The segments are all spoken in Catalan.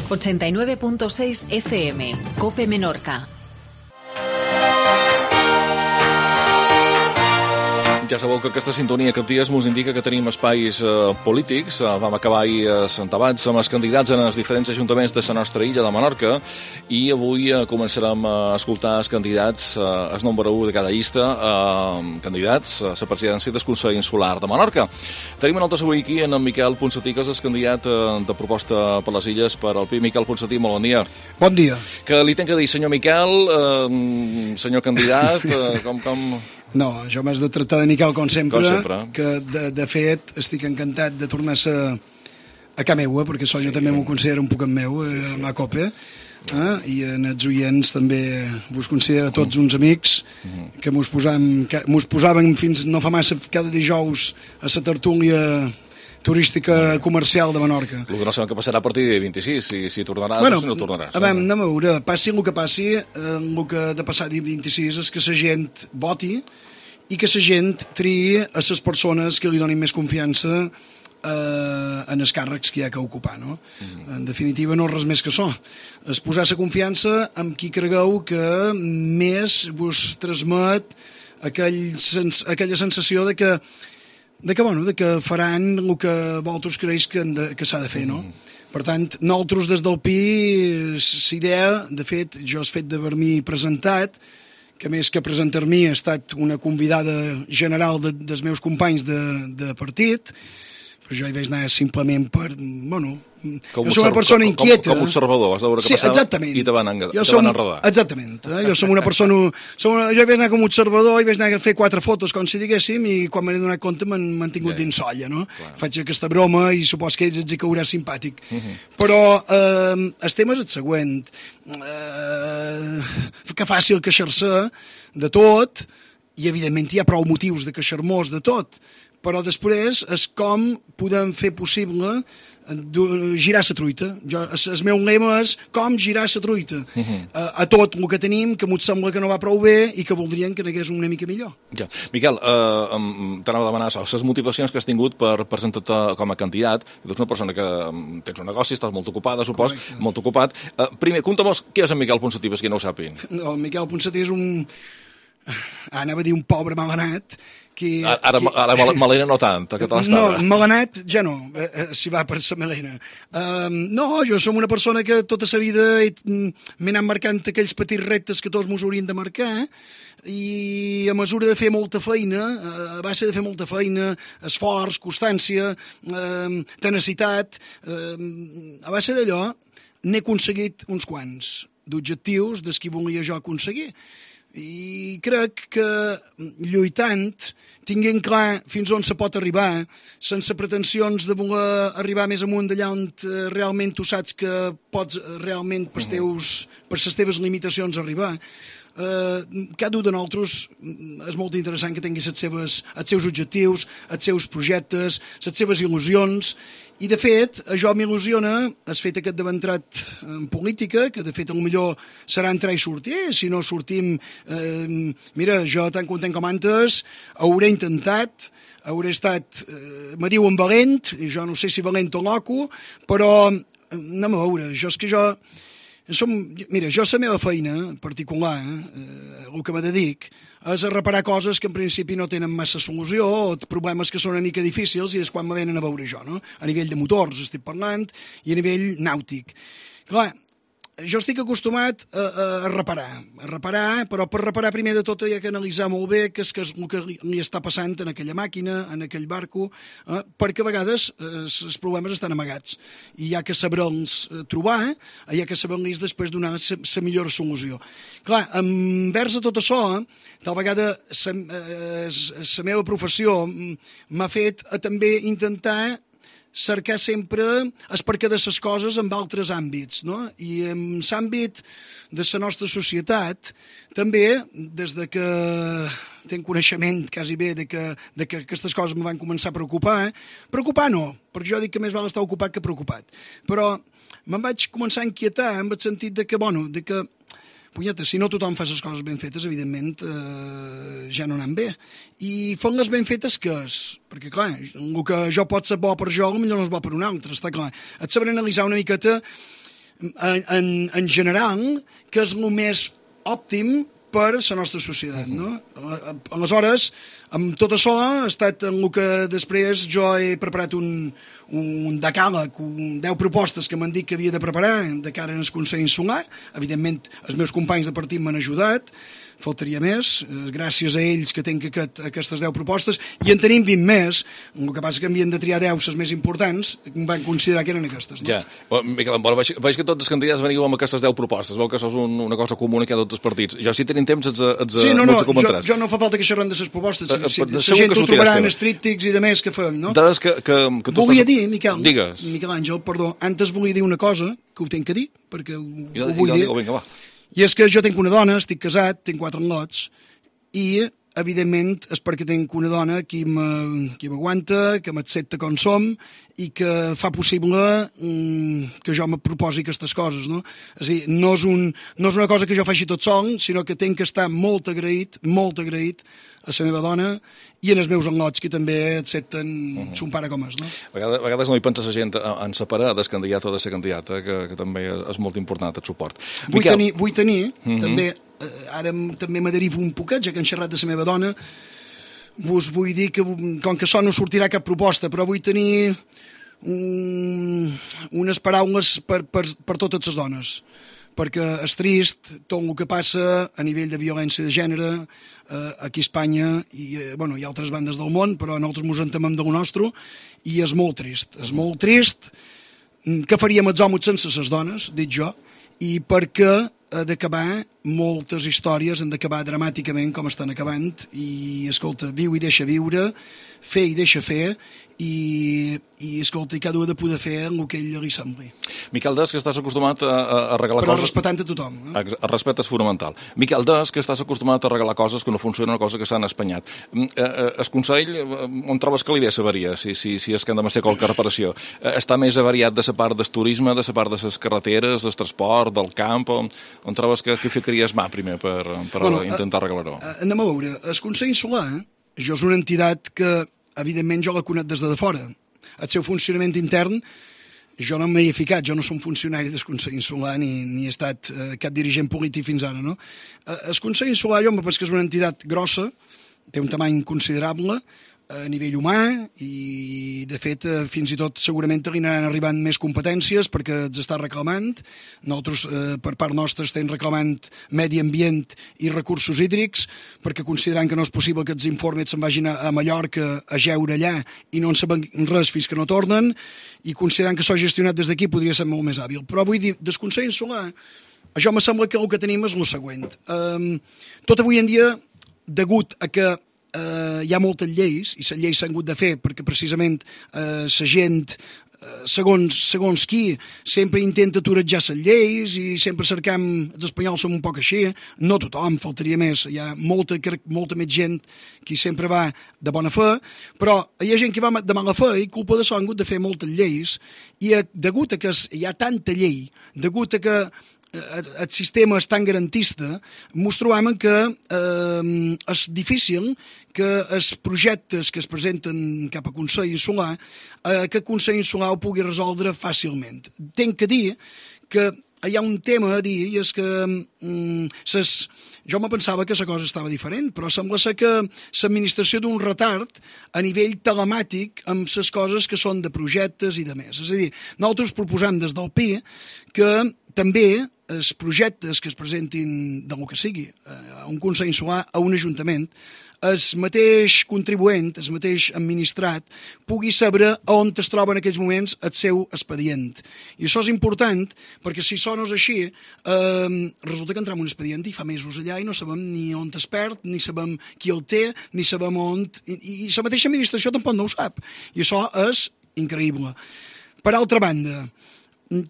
89.6 FM, COPE Menorca. Ja sabeu que aquesta sintonia aquests dies ens indica que tenim espais polítics. Vam acabar ahir debats amb els candidats en els diferents ajuntaments de la nostra illa de Menorca i avui començarem a escoltar els candidats, el número 1 de cada llista, candidats a la presidència del Consell Insular de Menorca. Tenim nosaltres avui aquí en Miquel Ponsatí, que és el candidat de proposta per les illes per al PI. Miquel Ponsatí, molt bon dia. Bon dia. Que li tenc que dir, senyor Miquel, senyor candidat, com... No, jo m'has de tractar de Miquel com sempre, que de fet estic encantat de tornar a casa meua, perquè jo també m'ho considero un poc en meu, la COPE, i en els oients també vos considero tots uns amics, que mos posàvem fins no fa massa cada dijous a la tertúlia turística comercial de Menorca. El que no sabem que passarà a partir del 26, si tornaràs o si no tornaràs. Anem a veure, passi el que passi, el que ha de passar el 26 és que la gent voti i que la gent triï a les persones que li donin més confiança en els càrrecs que hi ha que ocupar, no? En definitiva, no és res més que això. És posar la confiança amb qui cregueu que més vos transmet aquella sensació de que faran el que vosaltres creus que s'ha de fer, no? Per tant, nosaltres des del PI, l'idea, de fet, jo he fet d'haver-m'hi presentat, que més que presentar-m'hi ha estat una convidada general dels meus companys de partit, però jo hi vaig anar simplement per, jo soc una persona inquieta. Com observador, vas veure què passava i te van enredar. Exactament. Jo som una persona... Jo hi vaig anar com a observador i vaig anar a fer 4 fotos, com si diguéssim, i quan m'he donat compte m'han tingut dins solla, no? Faig aquesta broma i supos que ells els hi caurà simpàtic. Però el tema és el següent. Que fàcil queixar-se de tot, i evidentment hi ha prou motius de queixar-nos de tot, però després és com podem fer possible girar la truita. El meu lema és com girar la truita a tot el que tenim, que m'ho sembla que no va prou bé i que voldrien que n'hagués una mica millor. Ja. Miquel, t'anava a demanar les motivacions que has tingut per presentar-te com a candidat. Tu ets una persona que tens un negoci, estàs molt ocupada, supos, molt ocupat. Primer, conta'm què és en Miquel Ponsatí, per qui no ho sàpiguen. No, Miquel Ponsatí és un... anava a dir un pobre malanat que... Ara melena no tant, que te l'estava. No, malanat ja no, si va per la melena. No, jo som una persona que tota la vida m'he anat marcant aquells petits reptes que tots mos haurien de marcar, i a mesura de fer molta feina, a base de fer molta feina, esforç, constància, tenacitat, a base d'allò n'he aconseguit uns quants d'objectius des que volia jo aconseguir. I crec que lluitant, tinguent clar fins on se pot arribar, sense pretensions de voler arribar més amunt d'allà on realment tu saps que pots realment per les teves limitacions arribar, cada un de nosaltres és molt interessant que tingui els seus objectius, els seus projectes, les seves il·lusions, i de fet això m'il·lusiona el fet que d'haver entrat en política, que de fet potser serà entrar i sortir. Si no sortim, mira, jo tan content com antes hauré intentat, hauré estat, me diuen valent, i jo no sé si valent o loco, però anem a veure, mira, jo la meva feina particular, el que me dedic, és a reparar coses que en principi no tenen massa solució, o problemes que són una mica difícils, i és quan me venen a veure jo, no? A nivell de motors estic parlant, i a nivell nàutic. Clar, jo estic acostumat a reparar, però per reparar primer de tot hi ha que analitzar molt bé què és el que li està passant en aquella màquina, en aquell barco, perquè a vegades els problemes estan amagats i hi ha que saber-los trobar, hi ha que saber-los després donar la millor solució. Clar, envers a tot això, tal vegada la meva professió m'ha fet a també intentar cercar sempre el perquè de les coses en altres àmbits, no? I en l'àmbit de la nostra societat, també, des de que tenc coneixement quasi bé de que aquestes coses me van començar a preocupar, preocupar no, perquè jo dic que més val estar ocupat que preocupat, però me'n vaig començar a inquietar en el sentit de que, punyeta, si no tothom fa les coses ben fetes, evidentment ja no anem bé. I fent les ben fetes, què és? Perquè, clar, el que jo pot ser bo per jo, potser no és bo per un altre, està clar. Et sabré analitzar una miqueta en general, que és el més òptim per la nostra societat, no? Aleshores, amb tot això ha estat en el que després jo he preparat un decàleg, 10 propostes que m'han dit que havia de preparar de cara al Consell Insular. Evidentment, els meus companys de partit m'han ajudat, faltaria més, gràcies a ells que tinc aquestes 10 propostes, i en tenim 20 més, el que passa que havien de triar 10 les més importants, van considerar que eren aquestes. No? Ja, Miquel, veig que tots els candidats veniu amb aquestes 10 propostes, veu que això és una cosa comuna que hi ha tots els partits. Jo, si tenim temps, sí, no, jo no fa falta que xerrem de les propostes, la gent ho trobarà en els tríptics i de més que fem, no? Volia dir, Miquel Àngel, perdó, antes volia dir una cosa, que ho tinc que dir, perquè ho vull dir. Vinga, va. I és que jo tinc una dona, estic casat, tinc 4 lots, i, evidentment, és perquè tinc una dona qui m'aguanta, que m'accepta com som, i que fa possible que jo me proposi aquestes coses, no? És a dir, no és una cosa que jo faci tot sol, sinó que tinc que estar molt agraït a la meva dona i en els meus enlots, que també accepten son pare com és, no? A vegades no hi pensa la gent en separar del candidat o de la candidata, que també és molt important el suport. Vull tenir també, ara també me derivo un poquet, ja que han xerrat de la meva dona, vos vull dir que, com que això no sortirà cap proposta, però vull tenir unes paraules per totes les dones, perquè és trist tot el que passa a nivell de violència de gènere aquí a Espanya i hi ha altres bandes del món, però nosaltres ens en temem del nostre, i és molt trist. És molt trist. Què faríem els homes sense les dones, dic jo, i perquè ha d'acabar moltes històries, han d'acabar dramàticament com estan acabant, i escolta, viu i deixa viure, fer i deixa fer, i escolta, i cada un ha de poder fer el que ell li sembli. Miquel Des, que estàs acostumat a regalar però coses... Però respectant a tothom. El respecte és fonamental. Miquel Des, que estàs acostumat a regalar coses que no funcionen, una cosa que s'han espanyat. El Consell, on trobes que li ve la si és que hem de fer qualque reparació? Està més avariat de la part del turisme, de la part de les carreteres, del transport, del camp, on trobes que ficaries mà primer per intentar arreglar-ho? Anem a veure, el Consell Insular, jo és una entitat que, evidentment, jo la conec des de fora. El seu funcionament intern, jo no m'hi he ficat, jo no som funcionari del Consell Insular ni he estat cap dirigent polític fins ara, no? El Consell Insular, jo em penso que és una entitat grossa, té un tamany considerable a nivell humà, i de fet fins i tot segurament li aniran arribant més competències perquè els està reclamant. Nosaltres per part nostra estem reclamant medi ambient i recursos hídrics, perquè considerant que no és possible que els informes se'n vagin a Mallorca a jeure allà i no en saben res fins que no tornen, i considerant que s'ha gestionat des d'aquí podria ser molt més hàbil. Però vull dir, del Consell Insular, això me sembla que el que tenim és el següent. Tot avui en dia, degut a que hi ha moltes lleis, i les lleis s'han hagut de fer perquè precisament la gent, segons qui, sempre intenta turejar les lleis i sempre cercam, els espanyols som un poc així, no tothom, faltaria més, hi ha molta més gent que sempre va de bona fe, però hi ha gent que va de mala fe i culpa d'això han hagut de fer moltes lleis, i degut a que hi ha tanta llei, degut a que el sistema és tan garantista, ens trobem que és difícil que els projectes que es presenten cap a Consell Insular, que el Consell Insular ho pugui resoldre fàcilment. Tenc que dir que hi ha un tema a dir, i és que jo me pensava que la cosa estava diferent, però sembla ser que l'administració d'un retard a nivell telemàtic amb les coses que són de projectes i de més. És a dir, nosaltres proposem des del PI que també els projectes que es presentin del que sigui a un Consell Insular, a un ajuntament, el mateix contribuent, el mateix administrat, pugui saber on es troba en aquells moments el seu expedient. I això és important, perquè si això no és així, resulta que entrem en un expedient i fa mesos allà i no sabem ni on es perd, ni sabem qui el té, ni sabem on... I la mateixa administració tampoc no ho sap. I això és increïble. Per altra banda,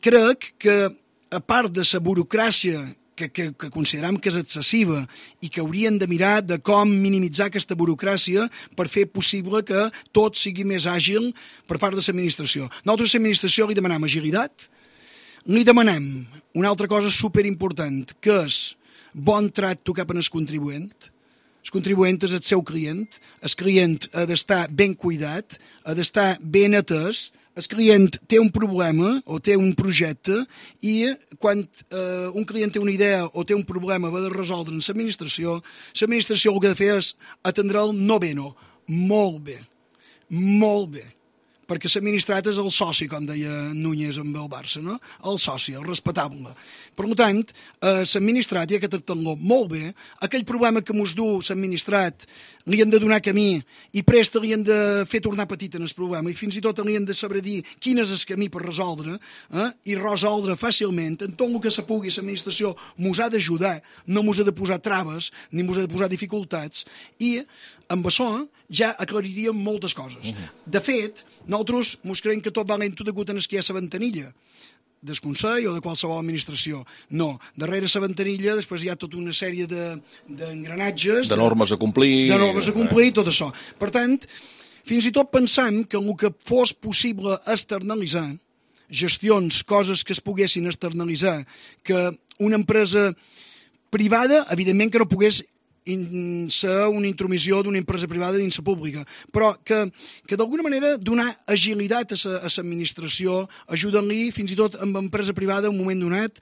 crec que a part de la burocràcia que consideram que és excessiva i que haurien de mirar de com minimitzar aquesta burocràcia per fer possible que tot sigui més àgil per part de l'administració. Nosaltres a l'administració li demanem agilitat, li demanem una altra cosa superimportant, que és bon tracte cap al contribuent. El contribuent és el seu client, el client ha d'estar ben cuidat, ha d'estar ben atès, el client té un problema o té un projecte i quan un client té una idea o té un problema va de resoldre en l'administració el que ha de fer és atendre'l no bé, no, molt bé, perquè l'administrat és el soci, com deia Núñez amb el Barça, no? El soci, el respectable. Per tant, l'administrat hi ha que tractar-lo molt bé, aquell problema que mos du l'administrat li han de donar camí i presta li han de fer tornar petit en el problema i fins i tot li han de saber dir quin és el camí per resoldre i resoldre fàcilment en tot el que se pugui l'administració mos ha d'ajudar, no mos ha de posar traves ni mos ha de posar dificultats i amb això ja aclariríem moltes coses. De fet, nosaltres mos creiem que tot va lento degut a que hi ha la ventanilla del Consell o de qualsevol administració. No, darrere la ventanilla després hi ha tota una sèrie d'engranatges... De normes a complir... De normes a complir i tot això. Per tant, fins i tot pensam que el que fos possible externalitzar, gestions, coses que es poguessin externalitzar, que una empresa privada, evidentment que no pogués ser una intromissió d'una empresa privada dins la pública, però que d'alguna manera donar agilitat a l'administració, ajudant-li fins i tot amb empresa privada en un moment donat,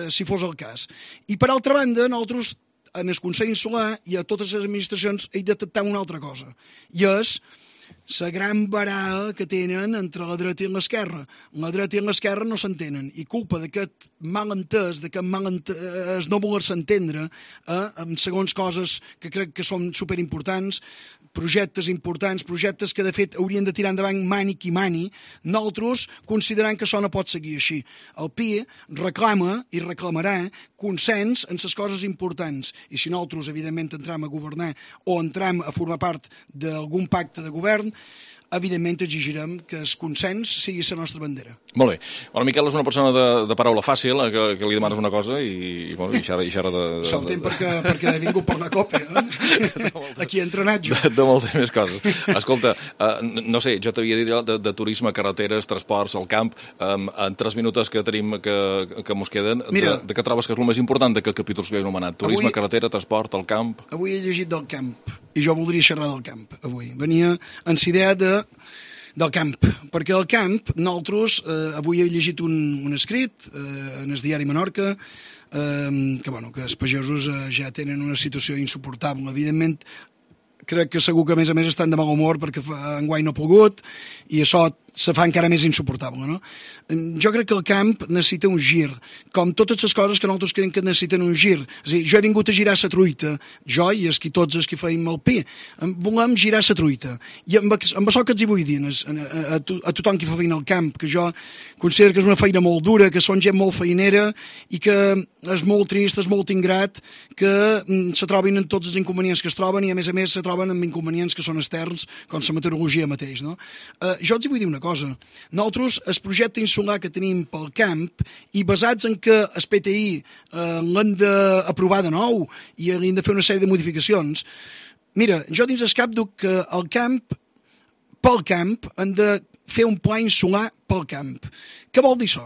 si fos el cas. I per altra banda, nosaltres en el Consell Insular i a totes les administracions hem de detectar una altra cosa, i és la gran baralla que tenen entre la dreta i l'esquerra. La dreta i l'esquerra no s'entenen i culpa d'aquest malentès, d'aquest no voler-se entendre amb segons coses que crec que són superimportants, projectes importants, projectes que de fet haurien de tirar endavant mani qui mani, nosaltres considerant que això no pot seguir així. El PI reclama i reclamarà consens en les coses importants i si nosaltres evidentment entram a governar o entram a formar part d'algun pacte de govern, evidentment exigirem que el consens sigui la nostra bandera. Molt bé. Bueno, Miquel és una persona de paraula fàcil, que li demanes una cosa i xerra de... Soltem perquè he vingut per la copa, aquí he entrenat jo. De moltes més coses. Escolta, no sé, jo t'havia dit de turisme, carreteres, transports, al camp, en 3 minuts que tenim que mos queden, de què trobes que és el més important d'aquest capítol que he anomenat? Turisme, carretera, transport, al camp... Avui he llegit del camp i jo voldria xerrar del camp avui. Venia en la idea del camp, perquè al camp nosaltres, avui he llegit un escrit en el diari Menorca que els pagesos ja tenen una situació insuportable. Evidentment, crec que segur que a més estan de mal humor perquè enguany no ha pogut i això se fa encara més insuportable, no? Jo crec que el camp necessita un gir, com totes les coses que nosaltres creiem que necessiten un gir. És a dir, jo he vingut a girar la truita, jo i tots els que feim el pi, volem girar la truita. I amb això que els hi vull dir a tothom que fa feina al camp, que jo considero que és una feina molt dura, que són gent molt feinera i que és molt trist, és molt ingrat, que se trobin en tots els inconvenients que es troben i a més se troben amb inconvenients que són externs, com la meteorologia mateix, no? Jo els hi vull dir una cosa. Nosaltres, el projecte insular que tenim pel camp i basats en que el PTI l'hem d'aprovar de nou i l'hem de fer una sèrie de modificacions, mira, jo dins el cap dic que pel camp hem de fer un pla insular pel camp. Què vol dir això?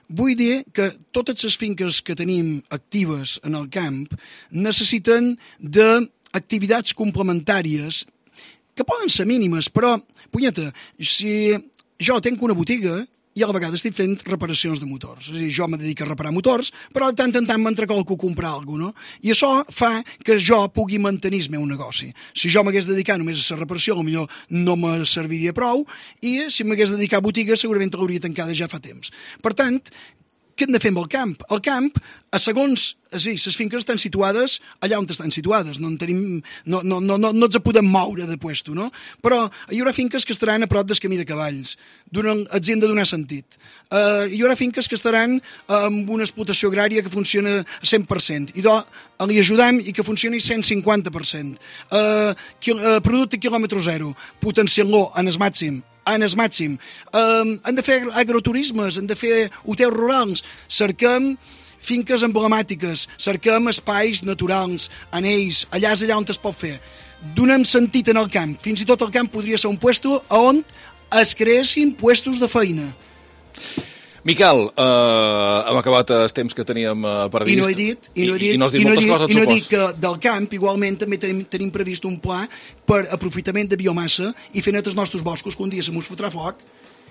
Vull dir que totes les finques que tenim actives en el camp necessiten d'activitats complementàries que poden ser mínimes, però, punyeta, si jo tenc una botiga i a la vegada estic fent reparacions de motors. És a dir, jo me dedico a reparar motors, però de tant en tant m'entrecolco a comprar alguna cosa, no? I això fa que jo pugui mantenir el meu negoci. Si jo m'hagués dedicat només a la reparació, potser no me serviria prou, i si m'hagués dedicat a botiga, segurament l'hauria tancada ja fa temps. Per tant, què hem de fer amb el camp? El camp, segons les finques estan situades allà on estan situades, no ens podem moure de puesto, no? Però hi haurà finques que estaran a prop del camí de cavalls, els hem de donar sentit. Hi haurà finques que estaran amb una explotació agrària que funciona a 100%, i li ajudem i que funcioni 150%. Producte quilòmetre zero, potenciant-lo en el màxim. Han de fer agroturismes, han de fer hotels rurals, cerquem finques emblemàtiques, cerquem espais naturals, anells, allà és allà on es pot fer. Donem sentit en el camp, fins i tot el camp podria ser un puesto on es creessin puestos de feina. Miquel, hem acabat el temps que teníem previst. I no has dit moltes coses, I no dic que del camp, igualment, també tenim previst un pla per aprofitament de biomassa i fer net els nostres boscos, que un dia se mos fotrà foc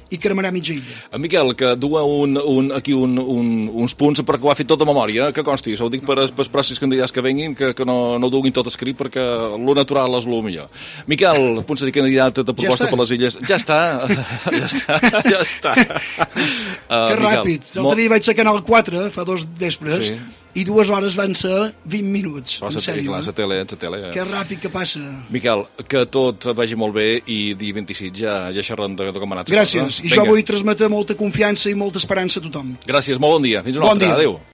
i cremarà mitja illa. En Miquel, que du aquí uns punts perquè ho ha fet tot de memòria, que consti, ho dic per als pròxims candidats que venguin, que no ho duguin tot escrit, perquè lo natural és lo millor. Miquel, punts de candidat de proposta per les illes. Ja està. Que ràpid. L'altre dia vaig ser a Canal 4, fa 2 vespres, i 2 hores van ser 20 minuts. En sèrio. La tele. Que ràpid que passa. Miquel, que tot vagi molt bé i dia 26 ja xerrem de com ha anat. Gràcies. I jo vull transmetre molta confiança i molta esperança a tothom. Gràcies, molt bon dia. Fins una altra. Adéu.